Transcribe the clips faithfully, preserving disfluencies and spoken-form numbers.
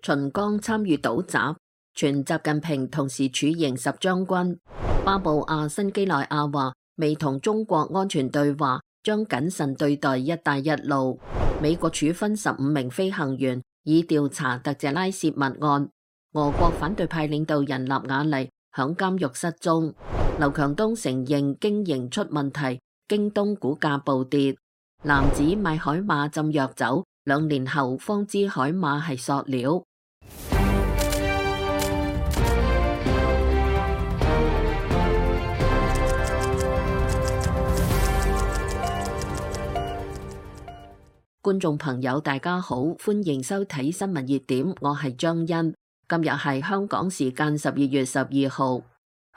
秦剛參與倒習，傳習近平同時處刑十將軍。巴布亞新幾內亞話未同中國安全對話，將謹慎對待一帶一路。美國處分十五名飛行員，以調查特謝拉泄密案。俄國反對派領導人納瓦尼響監獄失蹤。劉強東承認經營出問題，京東股價暴跌。男子買海馬浸藥酒，兩年後方知海馬係塑料。觀眾朋友大家好，歡迎收睇新聞熱點，我係張欣。今日係香港時間十二月十二號。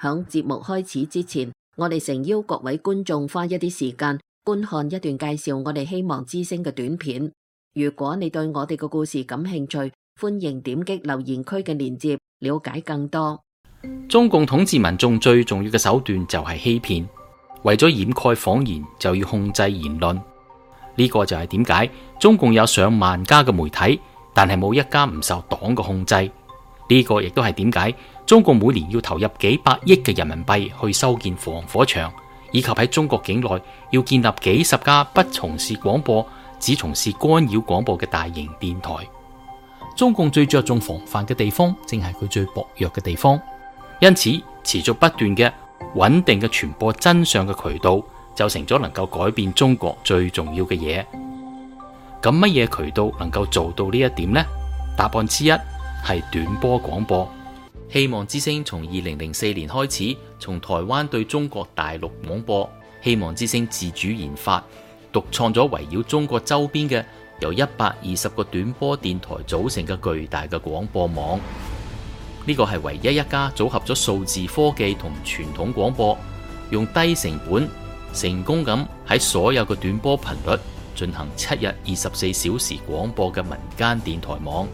響節目開始之前，我哋誠邀各位觀眾花一啲時間觀看一段介紹我哋希望之聲嘅短片。如果你對我哋嘅故事感興趣，歡迎點擊留言區嘅鏈接，了解更多。中共統治民眾最重要嘅手段就係欺騙，為咗掩蓋謊言，就要控制言論。呢個就係點解中共有上萬家嘅媒體，但係冇一家唔受黨嘅控制。呢個亦都係點解中共每年要投入幾百億嘅人民幣去修建防火牆，以及喺中國境內要建立幾十家不從事廣播，只從事干擾廣播嘅大型電台。中共最着重防範嘅地方，正係佢最薄弱嘅地方。因此，持續不斷嘅穩定嘅傳播真相嘅渠道，就成咗能夠改變中國最重要嘅嘢。咁乜嘢渠道能夠做到呢一點呢？答案之一係短波廣播。希望之聲從二零零四年開始，從台灣對中國大陸廣播。希望之聲自主研發、獨創咗圍繞中國周邊嘅由一百二十個短波電台組成嘅巨大嘅廣播網。呢個係唯一一家組合咗數字科技同傳統廣播，用低成本成功咁喺所有嘅短波頻率進行七日二十四小時廣播嘅民間電台網。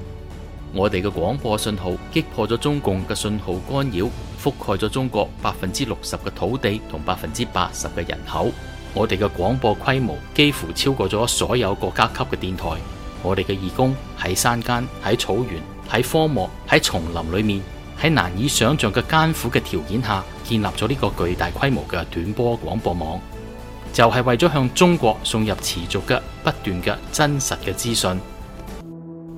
我哋嘅廣播信號擊破咗中共嘅信號干擾，覆蓋咗中國百分之六十嘅土地同百分之八十嘅人口。我哋嘅廣播規模幾乎超過咗所有國家級嘅電台。我哋嘅義工喺山間、喺草原、喺荒漠、喺叢林裏面，喺難以想象嘅艱苦嘅條件下，建立咗呢個巨大規模嘅短波廣播網，就係為咗向中國送入持續嘅、不斷嘅、真實嘅資訊。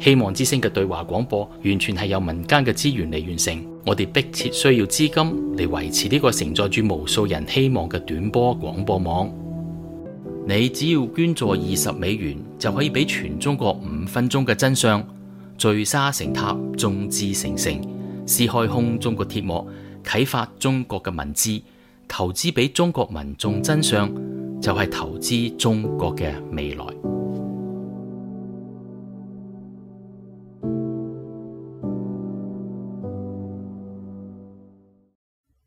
希望之聲嘅對話廣播完全係由民間嘅資源嚟完成，我哋迫切需要資金嚟維持呢個承載住無數人希望嘅短波廣播網。你只要捐助二十美元，就可以俾全中國五分鐘嘅真相，聚沙成塔，眾志成城，撕開空中嘅鐵幕，啟發中國嘅文字，投資俾中國民眾真相，就係投資中國嘅未來。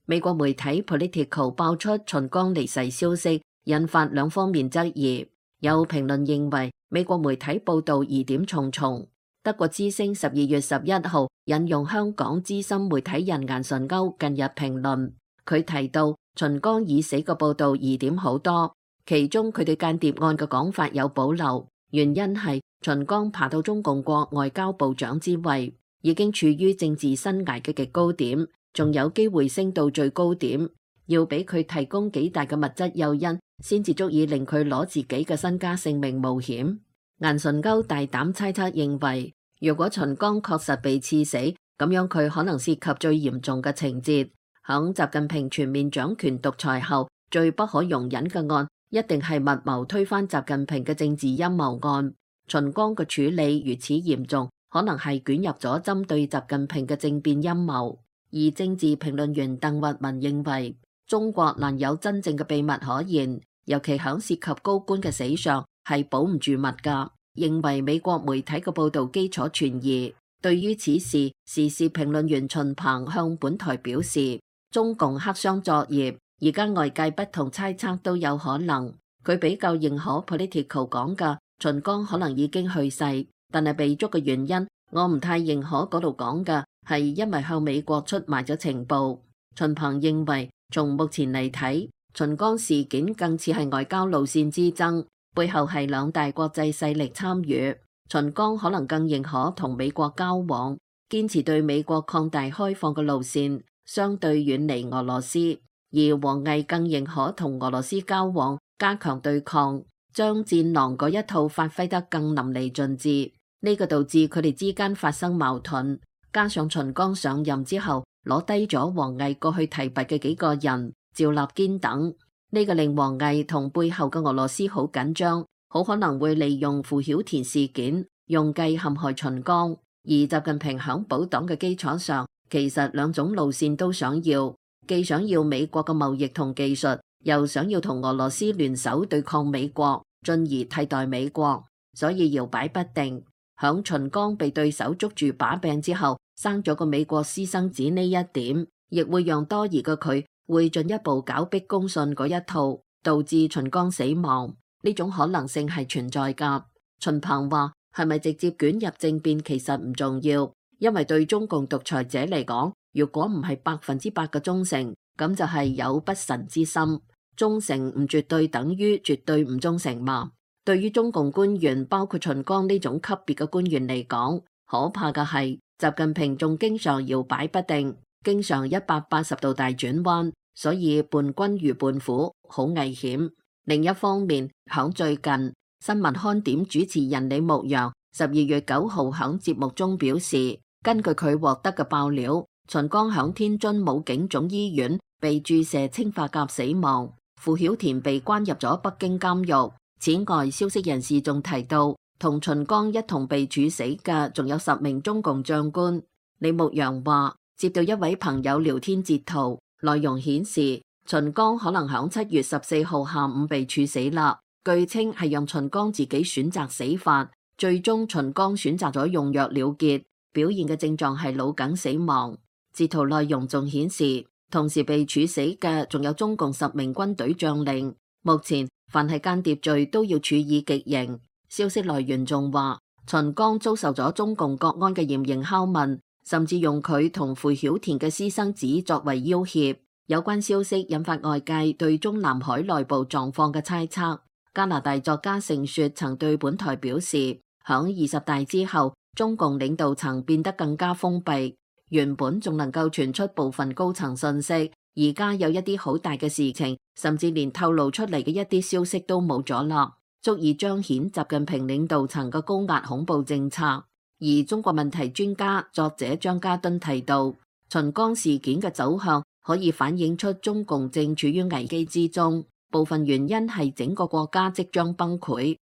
美國媒體 Politico 爆出秦剛離世消息，引發兩方面質疑。有評論認為美國媒體報道疑點重重。德國之聲十二月十一號引用香港資深媒體人顏純鈎近日評論，佢提到秦剛已死嘅報道疑點好多，其中佢對間諜案嘅講法有保留，原因係秦剛爬到中共國外交部長之位，已經處於政治生涯嘅極高點，仲有機會升到最高點，要俾佢提供幾大嘅物質誘因，先至足以令佢攞自己嘅身家性命冒險。顏純鈎大膽猜測認為，如果秦剛確實被刺死，咁樣佢可能涉及最嚴重嘅情節。響習近平全面掌權獨裁後，最不可容忍嘅案，一定係密謀推翻習近平嘅政治陰謀案。秦剛嘅處理如此嚴重，可能係捲入咗針對習近平嘅政變陰謀。而政治評論員鄧聿文認為，中國難有真正嘅秘密可言，尤其響涉及高官嘅死上係保唔住密㗎。認為美國媒體嘅報道基礎存疑。對於此事，時事評論員秦鵬向本台表示，中共黑箱作業，而家外界不同猜測都有可能。佢比較認可 Political 講嘅秦剛可能已經去世，但係被捉嘅原因，我唔太認可嗰度講嘅係因為向美國出賣咗情報。秦鵬認為，從目前嚟睇，秦剛事件更似係外交路線之爭，背後係兩大國際勢力參與。秦剛可能更認可同美國交往，堅持對美國擴大開放嘅路線，相對遠離俄羅斯；而王毅更認可同俄羅斯交往，加強對抗，將戰狼嗰一套發揮得更淋漓盡致。呢個導致佢哋之間發生矛盾。加上秦剛上任之後攞低咗王毅過去提拔嘅幾個人，趙立堅等，呢個令王毅同背後嘅俄羅斯好緊張，好可能會利用傅曉田事件用計陷害秦剛。而習近平響保黨嘅基礎上，其實兩種路線都想要，既想要美國嘅貿易同技術，又想要同俄羅斯聯手對抗美國，進而替代美國，所以搖擺不定。響秦剛被對手捉住把柄之後，生咗個美國私生子呢一點，亦會讓多疑嘅佢會進一步搞逼公信嗰一套，導致秦剛死亡。呢種可能性係存在㗎。秦鵬話：係咪直接捲入政變其實唔重要，因為對中共獨裁者嚟講，如果唔係百分之百嘅忠誠，咁就係有不臣之心。忠誠唔絕對等於絕對唔忠誠嘛。對於中共官員，包括秦剛呢種級別嘅官員嚟講，可怕嘅係習近平仲經常搖擺不定，經常一百八十度大轉彎，所以伴君如伴虎，好危險。另一方面，響最近新聞看點主持人李牧陽十二月九號響節目中表示，根據佢獲得嘅爆料，秦剛響天津武警總醫院被注射氰化鉀死亡，傅曉田被關入咗北京監獄。此外，消息人士仲提到，同秦剛一同被處死嘅仲有十名中共將官。李牧陽話，接到一位朋友聊天截圖，內容顯示秦剛可能響七月十四號下午被處死啦。據稱係讓秦剛自己選擇死法，最終秦剛選擇咗用藥了結，表現嘅症狀係腦梗死亡。截圖內容仲顯示，同時被處死嘅仲有中共十名軍隊將領。目前凡係間諜罪都要處以極刑。消息來源仲話，秦剛遭受咗中共國安嘅嚴刑拷問，甚至用佢同傅曉田嘅私生子作為要挾。有關消息引發外界對中南海內部狀況嘅猜測。加拿大作家盛雪曾對本台表示，響二十大之後，中共領導層變得更加封閉，原本仲能夠傳出部分高層信息，而家有一啲好大嘅事情，甚至連透露出嚟嘅一啲消息都冇咗啦，足以彰顯習近平領導層嘅高壓恐怖政策。而中國問題專家作者張家敦提到，秦剛事件嘅走向可以反映出中共正處於危機之中，部分原因係整個國家即將崩潰。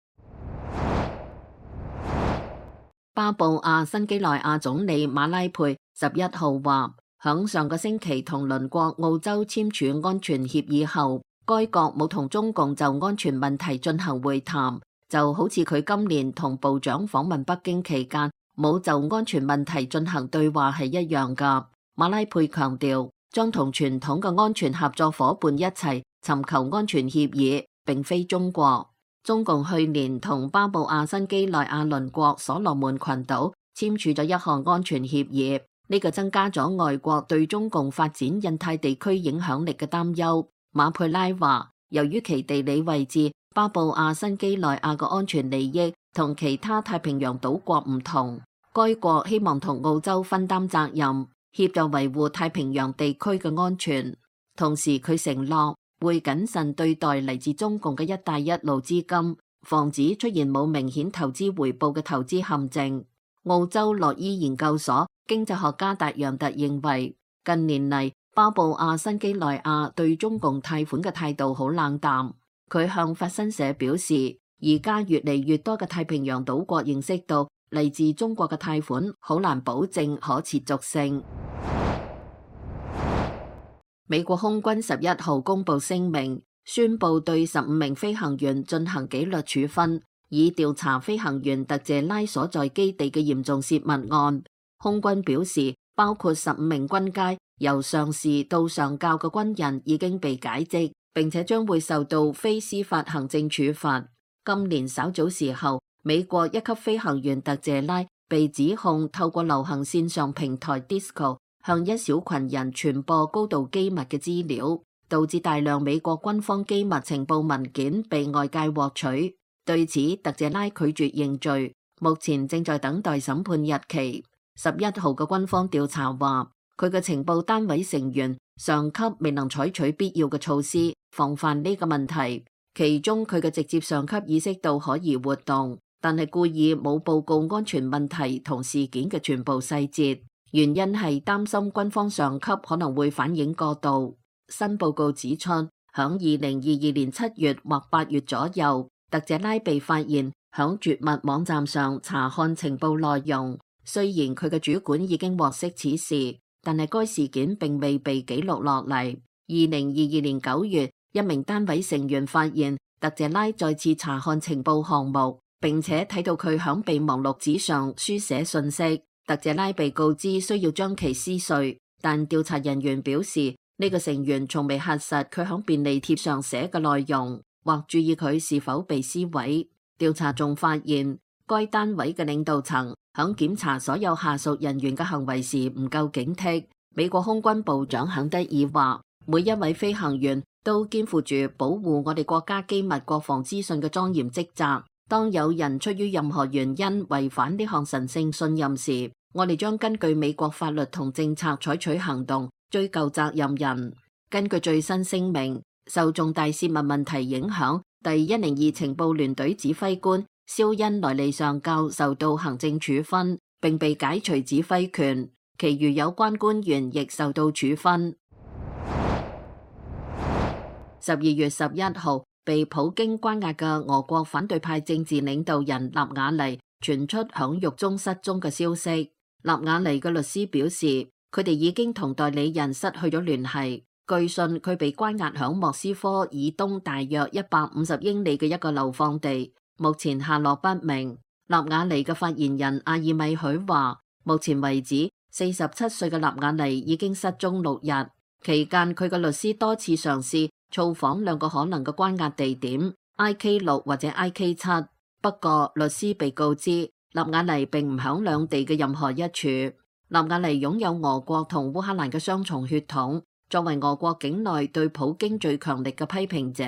巴布亞新幾內亞總理馬拉佩十一號話，響上個星期同鄰國澳洲簽署安全協議後，該國冇同中共就安全問題進行會談，就好似佢今年同部長訪問北京期間冇就安全問題進行對話係一樣㗎。馬拉佩強調，將同傳統嘅安全合作夥伴一齊尋求安全協議，並非中國。中共去年同巴布亞新幾內亞鄰國所羅門群島簽署咗一項安全協議，呢個增加咗外國對中共發展印太地區影響力嘅擔憂。馬佩拉話，由於其地理位置，巴布亞新幾內亞嘅安全利益同其他太平洋島國唔同，該國希望同澳洲分擔責任，協助維護太平洋地區嘅安全。同時佢承諾會謹慎對待嚟自中共嘅一帶一路資金，防止出現冇明顯投資回報嘅投資陷阱。澳洲洛伊研究所經濟學家達揚特認為，近年嚟巴布亞新幾內亞對中共貸款嘅態度好冷淡。佢向法新社表示，而家越嚟越多嘅太平洋島國認識到嚟自中國嘅貸款好難保證可持續性。美國空軍十一號公布聲明，宣布對十五名飛行員進行紀律處分，以調查飛行員特謝拉所在基地嘅嚴重洩密案。空軍表示，包括十五名軍階由上士到上校嘅軍人已經被解職，並且將會受到非司法行政處罰。今年稍早時候，美國一級飛行員特謝拉被指控透過流行線上平台 Disco 向一小群人傳播高度機密嘅資料，導致大量美國軍方機密情報文件被外界獲取。對此，特謝拉拒絕認罪。目前正在等待審判日期。十一號嘅軍方調查話，佢嘅情報單位成員上級未能採取必要嘅措施防範呢個問題，其中佢嘅直接上級意識到可疑活動，但係故意冇報告安全問題同事件嘅全部細節，原因係擔心軍方上級可能會反應過度。新報告指出，響二零二二年七月或八月左右，特謝拉被發現響絕密網站上查看情報內容。雖然佢嘅主管已經獲悉此事，但係該事件並未被記錄落嚟。二零二二年九月，一名單位成員發現特謝拉再次查看情報項目，並且睇到佢響備忘錄紙上書寫信息。特謝拉被告知需要將其撕碎，但調查人員表示呢個成員從未核實佢響便利貼上寫嘅內容，或注意佢是否被撕毀。調查仲發現該單位嘅領導層響檢查所有下屬人員嘅行為時唔夠警惕。美國空軍部長肯德爾話，每一位飛行員都肩負住保護我哋國家機密國防資訊嘅莊嚴職責。當有人出於任何原因違反呢項神聖信任時，我哋將根據美國法律同政策採取行動，追究責任人。根據最新聲明，受重大泄密問題影響，第一零二情報聯隊指揮官肖恩萊利上校受到行政處分，並被解除指揮權，其餘有關官員亦受到處分。十二月十一號，被普京關押嘅俄國反對派政治領導人納瓦尼傳出響獄中失蹤嘅消息。納瓦尼嘅律師表示，佢哋已經同代理人失去咗聯繫。據信佢被關押響莫斯科以東大約一百五十英里嘅一個流放地，目前下落不明。納瓦尼嘅發言人阿爾米許話，目前為止，四十七歲嘅納瓦尼已經失蹤六日，期間佢嘅律師多次嘗試造訪兩個可能嘅關押地點 I K 六或者 I K 七，不過律師被告知納瓦尼並唔響兩地嘅任何一處。納瓦尼擁有俄國同烏克蘭嘅雙重血統，作為俄國境內對普京最強力嘅批評者，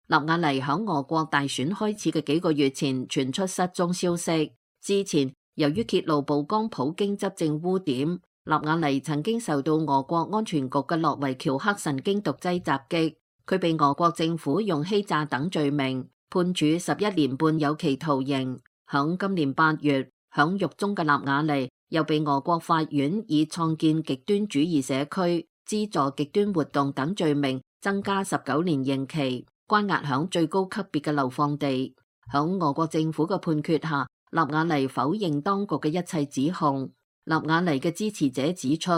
納瓦尼響俄國大選開始嘅幾個月前傳出失蹤消息。之前由於揭露曝光普京執政污點，納瓦尼曾經受到俄國安全局嘅諾維喬克神經毒劑襲擊，佢被俄國政府用欺詐等罪名判處十一年半有期徒刑。響今年八月，響獄中嘅納瓦尼又被俄國法院以創建極端主義社區、資助極端活動等罪名增加十九年刑期，關押響最高級別嘅流放地。響俄國政府嘅判決下，納瓦尼否認當局嘅一切指控。納瓦尼嘅支持者指出，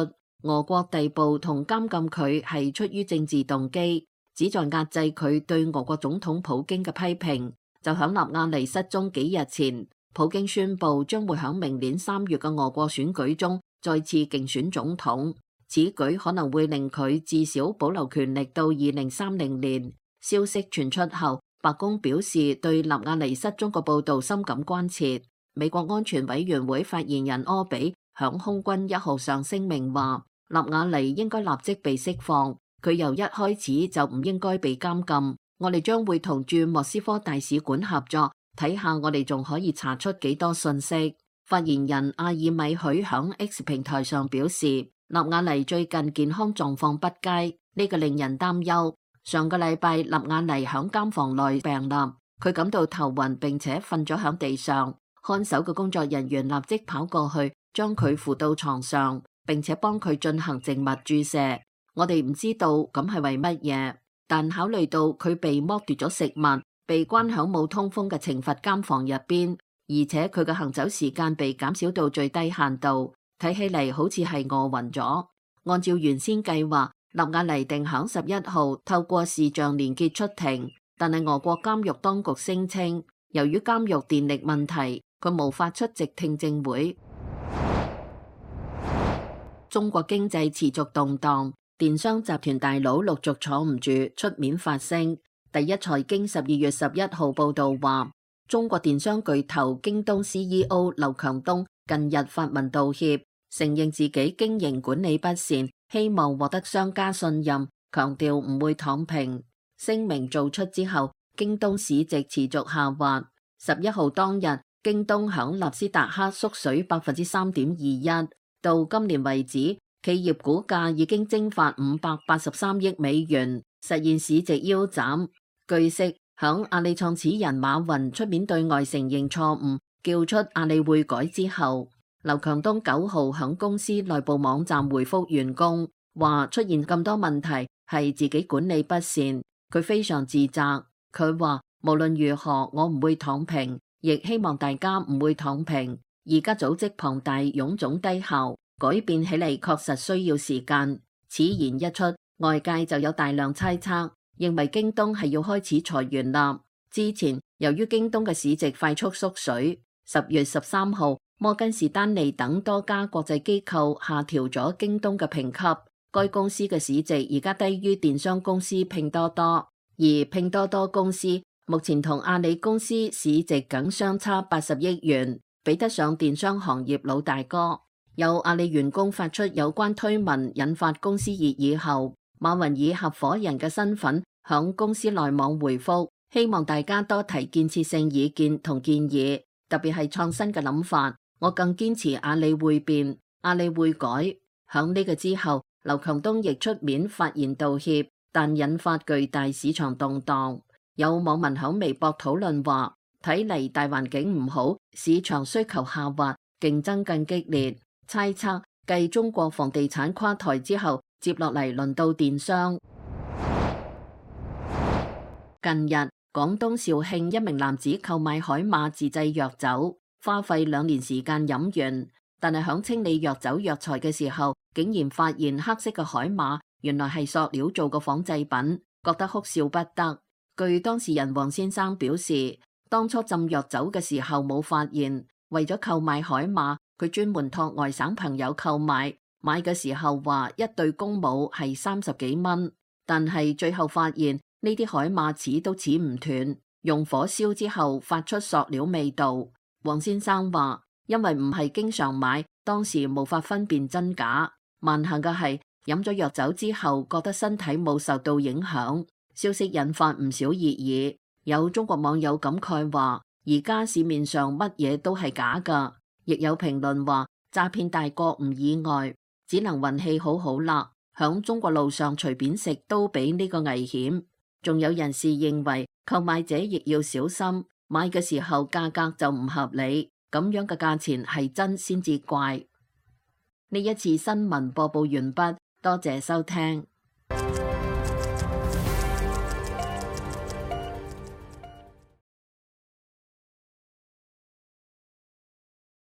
俄國逮捕同監禁佢係出於政治動機，旨在壓制佢對俄國總統普京嘅批評。就響納瓦尼失蹤幾日前，普京宣布將會響明年三月嘅俄國選舉中再次競選總統，此舉可能會令佢至少保留權力到二零三零年。消息傳出後，白宮表示對納瓦尼失蹤嘅報道深感關切。美國安全委員會發言人柯比響空軍一號上聲明話，納瓦尼應該立即被釋放，佢由一開始就唔應該被監禁。我哋將會同駐莫斯科大使館合作，睇下我哋仲可以查出幾多信息。發言人阿爾米許響 X 平台上表示，納瓦尼最近健康狀況不佳，呢個令人擔憂。上個禮拜，納瓦尼響監房內病立，佢感到頭暈，並且瞓咗響地上。看守嘅工作人員立即跑過去，將佢扶到床上，並且幫佢進行靜脈注射。我哋唔知道咁係為乜嘢。但考慮到佢被剝奪咗食物，被關響冇通風嘅懲罰監房入邊，而且佢嘅行走時間被減少到最低限度，睇起嚟好似係餓暈咗。按照原先計劃，納瓦尼定響十一號透過視像連結出庭，但係俄國監獄當局聲稱，由於監獄電力問題，佢無法出席聽證會。中國經濟持續動盪。電商集團大佬陸續坐唔住出面發聲。第一財經十二月十一號報道話，中國電商巨頭京東 C E O 劉強東近日發文道歉，承認自己經營管理不善，希望獲得商家信任，強調唔會躺平。聲明做出之後，京東市值持續下滑。十一號當日，京東響納斯達克縮水百分之三點二一，到今年為止，企業股價已經蒸發五百八十三億美元，實現市值腰斬。據悉，響阿里創始人馬雲出面對外承認錯誤，叫出阿里會改之後，劉強東九號響公司內部網站回覆員工，話出現咁多問題係自己管理不善，佢非常自責。佢話無論如何，我唔會躺平，亦希望大家唔會躺平。而家組織龐大臃腫低效，改變起嚟確實需要時間。此言一出，外界就有大量猜測，認為京東係要開始裁員啦。之前由於京東嘅市值快速縮水，十月十三號，摩根士丹利等多家國際機構下調咗京東嘅評級，該公司嘅市值而家低於電商公司拼多多，而拼多多公司目前同阿里公司市值僅相差八十億元，比得上電商行業老大哥。有阿里員工發出有關推文，引發公司熱議後，馬雲以合夥人嘅身份響公司內網回覆，希望大家多提建設性意見同建議，特別係創新嘅諗法。我更堅持阿里會變，阿里會改。響呢個之後，劉強東亦出面發言道歉，但引發巨大市場動盪。有網民響微博討論話，睇嚟大環境唔好，市場需求下滑，競爭更激烈。猜測繼中國房地產垮台之後，接落嚟輪到電商。近日，廣東肇慶一名男子購買海馬自製藥酒，花費兩年時間飲完，但係響清理藥酒藥材嘅時候，竟然發現黑色嘅海馬原來係塑料做嘅仿製品，覺得哭笑不得。據當事人黃先生表示，當初浸藥酒嘅時候冇發現，為咗購買海馬，佢專門託外省朋友購買，買嘅時候話一對公母係三十幾蚊，但係最後發現呢啲海馬齒都齒唔斷，用火燒之後發出塑料味道。黃先生話，因為唔係經常買，當時無法分辨真假。萬幸嘅係飲咗藥酒之後，覺得身體冇受到影響。消息引發唔少熱議，有中國網友感慨話，而家市面上乜嘢都係假㗎。亦有評論話，詐騙大國唔意外，只能運氣好好啦。響中國路上隨便食都比呢個危險。仲有人士認為，購買者亦要小心，買嘅時候價格就唔合理，咁樣嘅價錢係真先至怪。呢一次新聞播報完畢，多謝收聽。